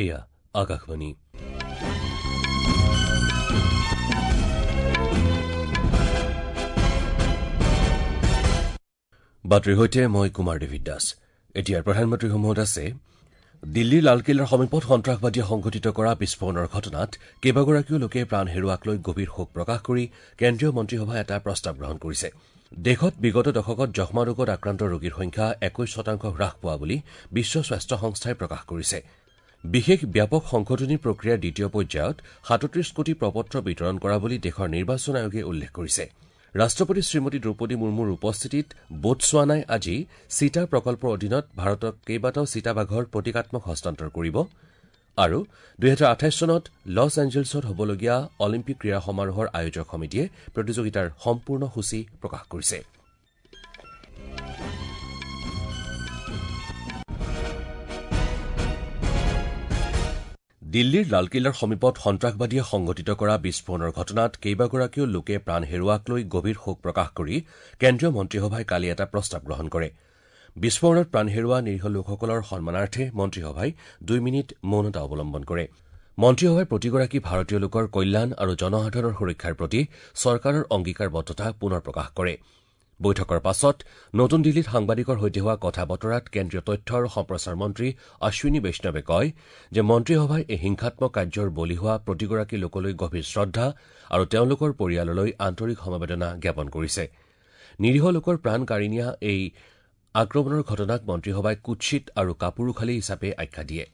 এয়া আকাশবাণী। বাতৰিৰ সৈতে মই কুমাৰ ডেভিড দাস। এতিয়াৰ প্ৰধানমন্ত্ৰীসমূহত আছে দিল্লীৰ লালকিল্লাৰ সমীপত সন্ত্ৰাসবাদীয়ে সংঘটিত কৰা বিস্ফোৰণৰ ঘটনাত কেইবাগৰাকীও লোকে প্ৰাণ হেৰুওৱাক লৈ গভীৰ শোক প্ৰকাশ কৰি কেন্দ্ৰীয় মন্ত্ৰীসভাই এটা প্ৰস্তাৱ গ্ৰহণ কৰিছে। দেশত বিগত দশকত যক্ষ্মা ৰোগত আক্ৰান্ত ৰোগীৰ সংখ্যা ২১% হ্ৰাস পোৱা বুলি বিশ্ব স্বাস্থ্য সংস্থাই প্ৰকাশ কৰিছে। বিশেষ ব্যাপক সংশোধনী প্ৰক্ৰিয়াৰ দ্বিতীয় পৰ্যায়ত ৩৭ কোটি প্ৰপত্ৰ বিতৰণ কৰা বুলি দেশৰ নিৰ্বাচন আয়োগে উল্লেখ কৰিছে। ৰাষ্ট্ৰপতি শ্ৰীমতী দ্ৰৌপদী মুৰ্মুৰ উপস্থিতিত বোটছৱানাই আজি চিতা প্ৰকল্পৰ অধীনত ভাৰতক কেইবাটাও চিতাবাঘৰ প্ৰতীকাত্মক হস্তান্তৰ কৰিব আৰু ২০২৮ চনত লছ এঞ্জেলছত হ'বলগীয়া অলিম্পিক ক্ৰীড়া সমাৰোহৰ আয়োজক সমিতিয়ে প্ৰতিযোগিতাৰ সম্পূৰ্ণ সূচী প্ৰকাশ কৰিছে। দিল্লীৰ লালকিল্লাৰ সমীপত সন্ত্ৰাসবাদীয়ে সংঘটিত কৰা বিস্ফোৰণৰ ঘটনাত কেইবাগৰাকীও লোকে প্ৰাণ হেৰুওৱাক লৈ গভীৰ শোক প্ৰকাশ কৰি কেন্দ্ৰীয় মন্ত্ৰীসভাই কালি এটা প্ৰস্তাৱ গ্ৰহণ কৰে। বিস্ফোৰণত প্ৰাণ হেৰুওৱা নিৰীহ লোকসকলৰ সন্মানাৰ্থে মন্ত্ৰীসভাই ২ মিনিট মৌনতা অৱলম্বন কৰে। মন্ত্ৰীসভাই প্ৰতিগৰাকী ভাৰতীয় লোকৰ কল্যাণ আৰু জনসাধাৰণৰ সুৰক্ষাৰ প্ৰতি চৰকাৰৰ অংগীকাৰবদ্ধতা পুনৰ প্ৰকাশ কৰে। বৈঠকৰ পাছত নতুন দিল্লীত সাংবাদিকৰ সৈতে হোৱা কথা বতৰাত কেন্দ্ৰীয় তথ্য আৰু সম্প্ৰচাৰ মন্ত্ৰী অশ্বিনী বৈষ্ণৱে কয় যে মন্ত্ৰীসভাই এই হিংসাত্মক কাৰ্যৰ বলি হোৱা প্ৰতিগৰাকী লোকলৈ গভীৰ শ্ৰদ্ধা আৰু তেওঁলোকৰ পৰিয়াললৈ আন্তৰিক সমবেদনা জ্ঞাপন কৰিছে। নিৰীহ লোকৰ প্ৰাণ কাঢ়ি নিয়া এই আক্ৰমণৰ ঘটনাক মন্ত্ৰীসভাই কুৎসিত আৰু কাপুৰুষালী হিচাপে আখ্যা দিয়ে।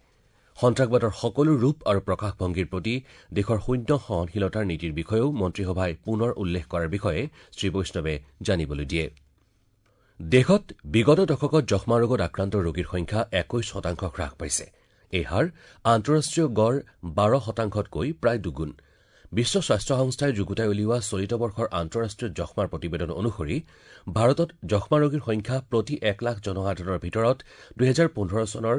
সন্ত্ৰাসবাদৰ সকলো ৰূপ আৰু প্ৰকাশভংগীৰ প্ৰতি দেশৰ শূন্য সহনশীলতাৰ নীতিৰ বিষয়েও মন্ত্ৰীসভাই পুনৰ উল্লেখ কৰাৰ বিষয়ে শ্ৰীবৈষ্ণৱে জানিবলৈ দিয়ে। দেশত বিগত দশকত যক্ষ্মা ৰোগত আক্ৰান্ত ৰোগীৰ সংখ্যা ২১% হ্ৰাস পাইছে। এই হাৰ আন্তঃৰাষ্ট্ৰীয় গড় ১২%তকৈ প্ৰায় দুগুণ। বিশ্ব স্বাস্থ্য সংস্থাই যুগুতাই উলিওৱা চলিত বৰ্ষৰ আন্তঃৰাষ্ট্ৰীয় যক্ষ্মাৰ প্ৰতিবেদন অনুসৰি ভাৰতত যক্ষ্মা ৰোগীৰ সংখ্যা প্ৰতি ১ লাখ জনসাধাৰণৰ ভিতৰত ২০১৫ চনৰ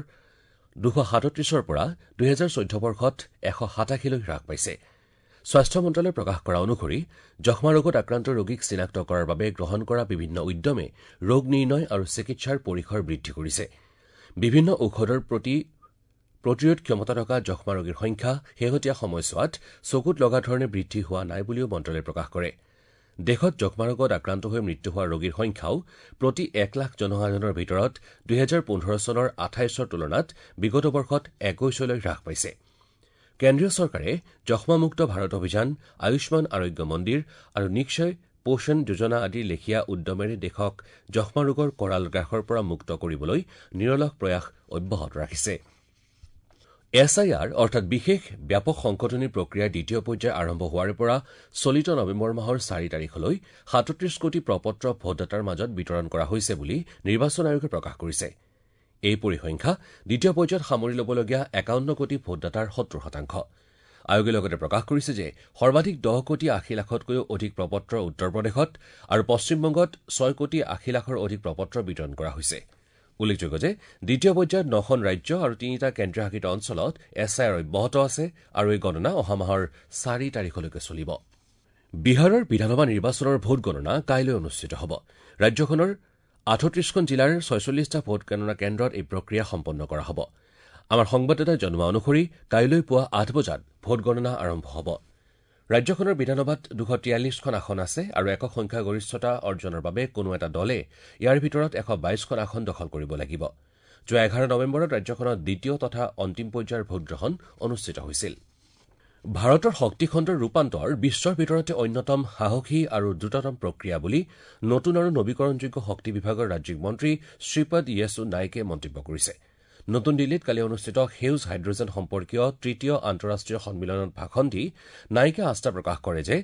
২৩৭ৰ পৰা ২০১৪ বৰ্ষত ১৮৭লৈ হ্ৰাস পাইছে। স্বাস্থ্য মন্ত্ৰালয়ে প্ৰকাশ কৰা অনুসৰি যক্ষ্মা ৰোগত আক্ৰান্ত ৰোগীক চিনাক্ত কৰাৰ বাবে গ্ৰহণ কৰা বিভিন্ন উদ্যমে ৰোগ নিৰ্ণয় আৰু চিকিৎসাৰ পৰিসৰ বৃদ্ধি কৰিছে। বিভিন্ন ঔষধৰ প্ৰতি প্ৰতিৰোধ ক্ষমতা থকা যক্ষ্মা ৰোগীৰ সংখ্যা শেহতীয়া সময়ছোৱাত চকুত লগা ধৰণে বৃদ্ধি হোৱা নাই বুলিও মন্ত্ৰালয়ে প্ৰকাশ কৰে। দেশত যক্ষ্মা ৰোগত আক্ৰান্ত হৈ মৃত্যু হোৱা ৰোগীৰ সংখ্যাও প্ৰতি ১ লাখ জনসাধাৰণৰ ভিতৰত ২০১৫ চনৰ ২৮ৰ তুলনাত বিগত বৰ্ষত ২১লৈ হ্ৰাস পাইছে। কেন্দ্ৰীয় চৰকাৰে যক্ষ্মামুক্ত ভাৰত অভিযান, আয়ুষ্মান আৰোগ্য মন্দিৰ আৰু নিক্ষয় পোষণ যোজনা আদিৰ লেখীয়া উদ্যমেৰে দেশক যক্ষ্মা ৰোগৰ কৰাল গ্ৰাসৰ পৰা মুক্ত কৰিবলৈ নিৰলস প্ৰয়াস অব্যাহত ৰাখিছে। এছ I R অৰ্থাৎ বিশেষ ব্যাপক সংশোধনী প্ৰক্ৰিয়াৰ দ্বিতীয় পৰ্যায় আৰম্ভ হোৱাৰে পৰা চলিত নৱেম্বৰ মাহৰ ৪ তাৰিখলৈ ৩৭ কোটি প্ৰপত্ৰ ভোটদাতাৰ মাজত বিতৰণ কৰা হৈছে বুলি নিৰ্বাচন আয়োগে প্ৰকাশ কৰিছে। এই পৰিসংখ্যা দ্বিতীয় পৰ্যায়ত সামৰি ল'বলগীয়া ৫১ কোটি ভোটদাতাৰ ৭০%। আয়োগে লগতে প্ৰকাশ কৰিছে যে সৰ্বাধিক ১০ কোটি ৮০ লাখতকৈও অধিক প্ৰপত্ৰ উত্তৰ প্ৰদেশত আৰু পশ্চিমবংগত ৬ কোটি ৮০ লাখৰ অধিক প্ৰপত্ৰ বিতৰণ কৰা হৈছে। উল্লেখযোগ্য যে দ্বিতীয় পৰ্যায়ত ৯খন ৰাজ্য আৰু ৩টা কেন্দ্ৰীয় শাসিত অঞ্চলত এছ I R অব্যাহত আছে আৰু এই গণনা অহা মাহৰ ৪ তাৰিখলৈকে চলিব। বিহাৰৰ বিধানসভা নিৰ্বাচনৰ ভোটগণনা কাইলৈ অনুষ্ঠিত হ'ব। ৰাজ্যখনৰ ৩৮খন জিলাৰ ৪৬টা ভোটগণনা কেন্দ্ৰত এই প্ৰক্ৰিয়া সম্পন্ন কৰা হ'ব। আমাৰ সংবাদদাতাই জনোৱা অনুসৰি কাইলৈ পুৱা ৮ বজাত ভোটগণনা আৰম্ভ হ'ব। ৰাজ্যখনৰ বিধানসভাত ২৪৩খন আসন আছে আৰু একক সংখ্যাগৰিষ্ঠতা অৰ্জনৰ বাবে কোনো এটা দলে ইয়াৰ ভিতৰত ১২২খন আসন দখল কৰিব লাগিব। যোৱা ১১ নৱেম্বৰত ৰাজ্যখনত দ্বিতীয় তথা অন্তিম পৰ্যায়ৰ ভোটগ্ৰহণ অনুষ্ঠিত হৈছিল। ভাৰতৰ শক্তিখণ্ডৰ ৰূপান্তৰ বিশ্বৰ ভিতৰতে অন্যতম সাহসী আৰু দ্ৰুততম প্ৰক্ৰিয়া বুলি নতুন আৰু নবীকৰণযোগ্য শক্তি বিভাগৰ ৰাজ্যিক মন্ত্ৰী শ্ৰীপদ য়েছু নাইকে মন্তব্য কৰিছে। নতুন দিল্লীত কালি অনুষ্ঠিত সেউজ হাইড্ৰজেন সম্পৰ্কীয় তৃতীয় আন্তঃৰাষ্ট্ৰীয় সন্মিলনত ভাষণ দি নাইকে আস্থা প্ৰকাশ কৰে যে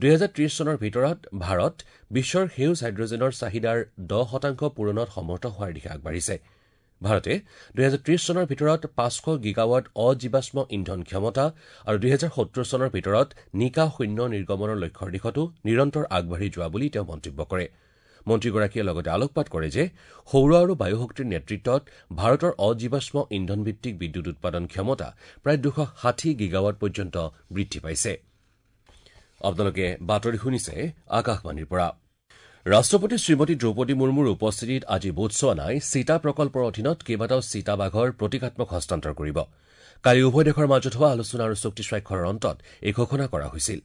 ২০৩০ চনৰ ভিতৰত ভাৰত বিশ্বৰ সেউজ হাইড্ৰজেনৰ চাহিদাৰ ১০% পূৰণত সমৰ্থ হোৱাৰ দিশে আগবাঢ়িছে। ভাৰতে ২০৩০ চনৰ ভিতৰত ৫০০ গিগাৱাট অজীৱাশ্ম ইন্ধন ক্ষমতা আৰু ২০৭০ চনৰ ভিতৰত নিকা শূন্য নিৰ্গমনৰ লক্ষ্যৰ দিশতো নিৰন্তৰ আগবাঢ়ি যোৱা বুলি তেওঁ মন্তব্য কৰে। মন্ত্ৰীগৰাকীয়ে লগতে আলোকপাত কৰে যে সৌৰ আৰু বায়ু শক্তিৰ নেতৃত্বত ভাৰতৰ অজীৱাশ্ম ইন্ধনভিত্তিক বিদ্যুৎ উৎপাদন ক্ষমতা প্ৰায় ২৬০ গিগাৱাট পৰ্যন্ত বৃদ্ধি পাইছে। আপোনালোকে বাতৰি শুনিছে আকাশবাণীৰ পৰা। ৰাষ্ট্ৰপতি শ্ৰীমতী দ্ৰৌপদী মুৰ্মুৰ উপস্থিতিত আজি বোটছৱানাই চিতা প্ৰকল্পৰ অধীনত কেইবাটাও চিতাবাঘৰ প্ৰতীকাত্মক হস্তান্তৰ কৰিব। কালি উভয় দেশৰ মাজত হোৱা আলোচনা আৰু চুক্তি স্বাক্ষৰৰ অন্তত এই ঘোষণা কৰা হৈছিল।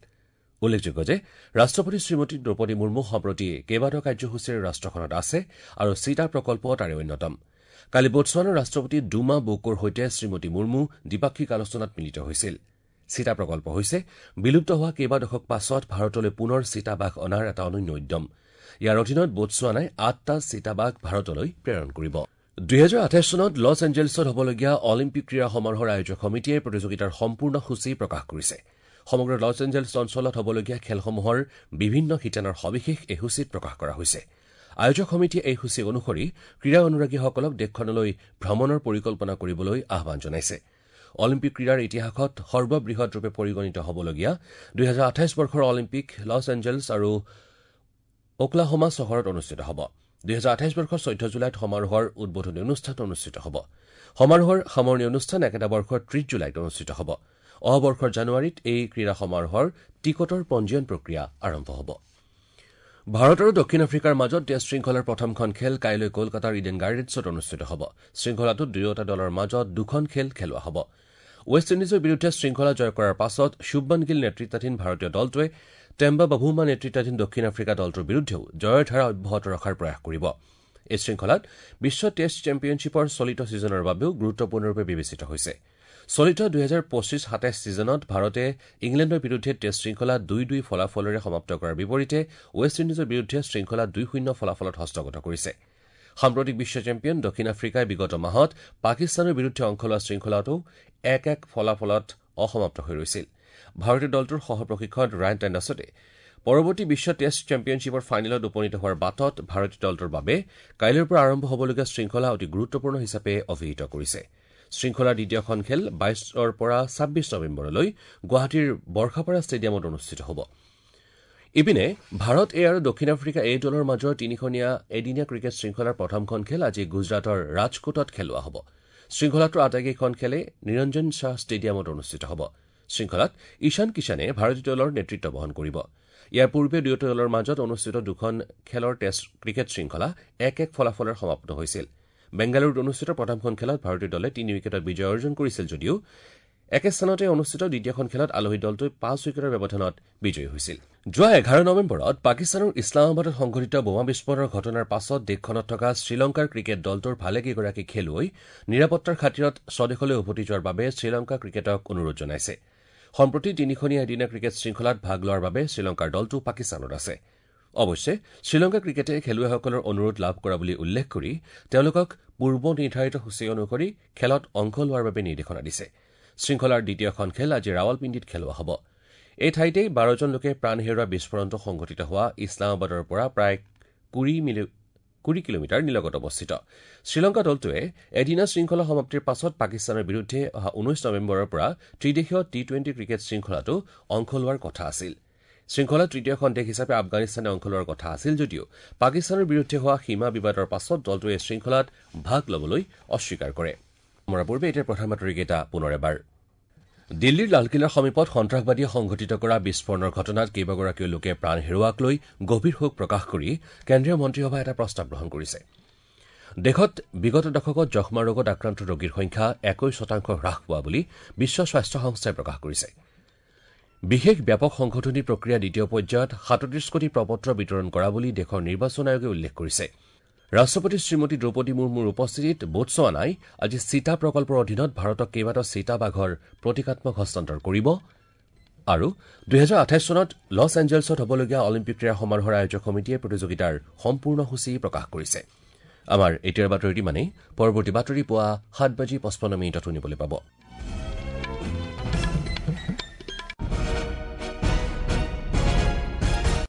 উল্লেখযোগ্য যে ৰাষ্ট্ৰপতি শ্ৰীমতী দ্ৰৌপদী মুৰ্মু সম্প্ৰতি কেইবাটাও কাৰ্যসূচীৰে ৰাষ্ট্ৰখনত আছে আৰু চিতা প্ৰকল্প তাৰে অন্যতম। কালি বোটছৱানাৰ ৰাষ্ট্ৰপতি ডুমা বোকোৰ সৈতে শ্ৰীমতী মুৰ্মু দ্বিপাক্ষিক আলোচনাত মিলিত হৈছিল। চিতা প্ৰকল্প হৈছে বিলুপ্ত হোৱা কেইবা দশক পাছত ভাৰতলৈ পুনৰ চিতাবাঘ অনাৰ এটা অনন্য উদ্যম। ইয়াৰ অধীনত বোটছৱানাই ৮টা চিতাবাঘ ভাৰতলৈ প্ৰেৰণ কৰিব। ২০২৮ চনত লছ এঞ্জেলছত হ'বলগীয়া অলিম্পিক ক্ৰীড়া সমাৰোহৰ আয়োজক সমিতিয়ে প্ৰতিযোগিতাৰ সম্পূৰ্ণ সূচী প্ৰকাশ কৰিছে। সমগ্ৰ লছ এঞ্জেলছ অঞ্চলত হ'বলগীয়া খেলসমূহৰ বিভিন্ন শিতানৰ সবিশেষ এই সূচীত প্ৰকাশ কৰা হৈছে। আয়োজক সমিতিয়ে এই সূচী অনুসৰি ক্ৰীড়া অনুৰাগীসকলক দেশখনলৈ ভ্ৰমণৰ পৰিকল্পনা কৰিবলৈ আহ্বান জনাইছে। অলিম্পিক ক্ৰীড়াৰ ইতিহাসত সৰ্ববৃহৎ ৰূপে পৰিগণিত হ'বলগীয়া ২০২৮ বৰ্ষৰ অলিম্পিক লছ এঞ্জেলছ আৰু অকলাহোমা চহৰত অনুষ্ঠিত হ'ব। ২০২৮ বৰ্ষৰ ১৪ জুলাইত সমাৰোহৰ উদ্বোধনী অনুষ্ঠান অনুষ্ঠিত হ'ব। সমাৰোহৰ সামৰণি অনুষ্ঠান একেটা বৰ্ষৰ ৩০ জুলাইত অনুষ্ঠিত হ'ব। অহা বৰ্ষৰ জানুৱাৰীত এই ক্ৰীড়া সমাৰোহৰ টিকটৰ পঞ্জীয়ন প্ৰক্ৰিয়া আৰম্ভ হ'ব। ভাৰত আৰু দক্ষিণ আফ্ৰিকাৰ মাজত টেষ্ট শৃংখলাৰ প্ৰথমখন খেল কাইলৈ কলকাতাৰ ইডেন গাৰ্ডেনছত অনুষ্ঠিত হ'ব। শৃংখলাটোত দুয়োটা দলৰ মাজত দুখন খেল খেলোৱা হ'ব। ৱেষ্ট ইণ্ডিজৰ বিৰুদ্ধে শৃংখলা জয় কৰাৰ পাছত শুভমন গিল নেতৃত্বাধীন ভাৰতীয় দলটোৱে টেম্বা বাভুমা নেতৃত্বাধীন দক্ষিণ আফ্ৰিকা দলটোৰ বিৰুদ্ধেও জয়ৰ ধাৰা অব্যাহত ৰখাৰ প্ৰয়াস কৰিব। এই শৃংখলাত বিশ্ব টেষ্ট চেম্পিয়নশ্বিপৰ চলিত ছিজনৰ বাবেও গুৰুত্বপূৰ্ণৰূপে বিবেচিত হৈছে। চলিত ২০২৫-২৭ ছিজনত ভাৰতে ইংলেণ্ডৰ বিৰুদ্ধে টেষ্ট শৃংখলা ২-২ ফলাফলেৰে সমাপ্ত কৰাৰ বিপৰীতে ৱেষ্ট ইণ্ডিজৰ বিৰুদ্ধে শৃংখলা ২-০ ফলাফলত হস্তগত কৰিছে। সাম্প্ৰতিক বিশ্ব চেম্পিয়ন দক্ষিণ আফ্ৰিকাই বিগত মাহত পাকিস্তানৰ বিৰুদ্ধে অংশ লোৱা শৃংখলাটো ১-১ ফলাফলত অসমাপ্ত হৈ ৰৈছিল। ভাৰতীয় দলটোৰ সহ প্ৰশিক্ষক ৰায়ন টেণ্ডাছতে পৰৱৰ্তী বিশ্ব টেষ্ট চেম্পিয়নশ্বিপৰ ফাইনেলত উপনীত হোৱাৰ বাটত ভাৰতীয় দলটোৰ বাবে কাইলৈৰ পৰা আৰম্ভ হ'বলগীয়া শৃংখলা অতি গুৰুত্বপূৰ্ণ হিচাপে অভিহিত কৰিছে। শৃংখলাৰ দ্বিতীয়খন খেল ২২ৰ পৰা ২৬ নৱেম্বৰলৈ গুৱাহাটীৰ বৰ্ষাপাৰা ষ্টেডিয়ামত অনুষ্ঠিত হ'ব। ইপিনে ভাৰত এ আৰু দক্ষিণ আফ্ৰিকা এ দলৰ মাজৰ তিনিখনীয়া এদিনীয়া ক্ৰিকেট শৃংখলাৰ প্ৰথমখন খেল আজি গুজৰাটৰ ৰাজকোটত খেলোৱা হ'ব। শৃংখলাটোৰ আটাইকেইখন খেলে নিৰঞ্জন শ্বাহ ষ্টেডিয়ামত অনুষ্ঠিত হ'ব। শৃংখলাত ঈশান কিষাণে ভাৰতীয় দলৰ নেতৃত্ব বহন কৰিব। ইয়াৰ পূৰ্বে দুয়োটা দলৰ মাজত অনুষ্ঠিত দুখন খেলৰ টেষ্ট ক্ৰিকেট শৃংখলা ১-১ ফলাফলেৰে সমাপ্ত হৈছিল। বেংগালুৰুত অনুষ্ঠিত প্ৰথমখন খেলত ভাৰতীয় দলে ৩ উইকেটত বিজয় অৰ্জন কৰিছিল যদিও একে স্থানতে অনুষ্ঠিত দ্বিতীয়খন খেলত আলহী দলটোৱে ৫ উইকেটৰ ব্যৱধানত বিজয়ী হৈছিল। যোৱা ১১ নৱেম্বৰত পাকিস্তানৰ ইছলামাবাদত সংঘটিত বোমা বিস্ফোৰণৰ ঘটনাৰ পাছত দেশখনত থকা শ্ৰীলংকাৰ ক্ৰিকেট দলটোৰ ভালেকেইগৰাকী খেলুৱৈ নিৰাপত্তাৰ খাতিৰত স্বদেশলৈ উভতি যোৱাৰ বাবে শ্ৰীলংকা ক্ৰিকেটক অনুৰোধ জনাইছে। সম্প্ৰতি তিনিখনীয়া এদিনীয়া ক্ৰিকেট শৃংখলাত ভাগ লোৱাৰ বাবে শ্ৰীলংকাৰ দলটো পাকিস্তানত আছে। অৱশ্যে শ্ৰীলংকা ক্ৰিকেটে খেলুৱৈসকলৰ অনুৰোধ লাভ কৰা বুলি উল্লেখ কৰি তেওঁলোকক পূৰ্ব নিৰ্ধাৰিত সূচী অনুসৰি খেলত অংশ লোৱাৰ বাবে নিৰ্দেশনা দিছে। শৃংখলাৰ দ্বিতীয়খন খেল আজি ৰাৱালপিণ্ডিত খেলোৱা হ'ব। এই ঠাইতেই ১২জন লোকে প্ৰাণ হেৰুওৱা বিস্ফোৰণটো সংঘটিত হোৱা ইছলামাবাদৰ পৰা প্ৰায় ২০ কিলোমিটাৰ নিলগত অৱস্থিত। শ্ৰীলংকা দলটোৱে এদিনীয়া শৃংখলা সমাপ্তিৰ পাছত পাকিস্তানৰ বিৰুদ্ধে অহা ১৯ নৱেম্বৰৰ পৰা ত্ৰিদেশীয় টি-টুৱেণ্টি ক্ৰিকেট শৃংখলাতো অংশ লোৱাৰ কথা আছিল। শৃংখলাত তৃতীয়খন দেশ হিচাপে আফগানিস্তানে অংশ লোৱাৰ কথা আছিল যদিও পাকিস্তানৰ বিৰুদ্ধে হোৱা সীমা বিবাদৰ পাছত দলটোৱে শৃংখলাত ভাগ ল'বলৈ অস্বীকাৰ কৰে। মৰাৰ পূৰ্বে এতিয়া প্ৰধান বাতৰিকেইটা পুনৰ এবাৰ। দিল্লীৰ লালকিল্লাৰ সমীপত সন্ত্ৰাসবাদীয়ে সংঘটিত কৰা বিস্ফোৰণৰ ঘটনাত কেইবাগৰাকীও লোকে প্ৰাণ হেৰুওৱাক লৈ গভীৰ শোক প্ৰকাশ কৰি কেন্দ্ৰীয় মন্ত্ৰীসভাই এটা প্ৰস্তাৱ গ্ৰহণ কৰিছে। দেশত বিগত দশকত যক্ষ্মা ৰোগত আক্ৰান্ত ৰোগীৰ সংখ্যা ২১% হ্ৰাস পোৱা বুলি বিশ্ব স্বাস্থ্য সংস্থাই প্ৰকাশ কৰিছে। বিশেষ ব্যাপক সংশোধনী প্ৰক্ৰিয়া দ্বিতীয় পৰ্যায়ত ৩৭ কোটি প্ৰপত্ৰ বিতৰণ কৰা বুলি দেশৰ নিৰ্বাচন আয়োগে উল্লেখ কৰিছে। ৰাষ্ট্ৰপতি শ্ৰীমতী দ্ৰৌপদী মুৰ্মুৰ উপস্থিতিত বোটছৱানাই আজি চিতা প্ৰকল্পৰ অধীনত ভাৰতক কেইবাটাও চিতা বাঘৰ প্ৰতীকাত্মক হস্তান্তৰ কৰিব আৰু ২০২৮ চনত লছ এঞ্জেলছত হ'বলগীয়া অলিম্পিক ক্ৰীড়া সমাৰোহৰ আয়োজক সমিতিয়ে প্ৰতিযোগিতাৰ সম্পূৰ্ণ সূচী প্ৰকাশ কৰিছে। আমাৰ এতিয়াৰ বাতৰিটো ইমানেই। পৰৱৰ্তী বাতৰি পুৱা ৭:৫৫ শুনিবলৈ পাব।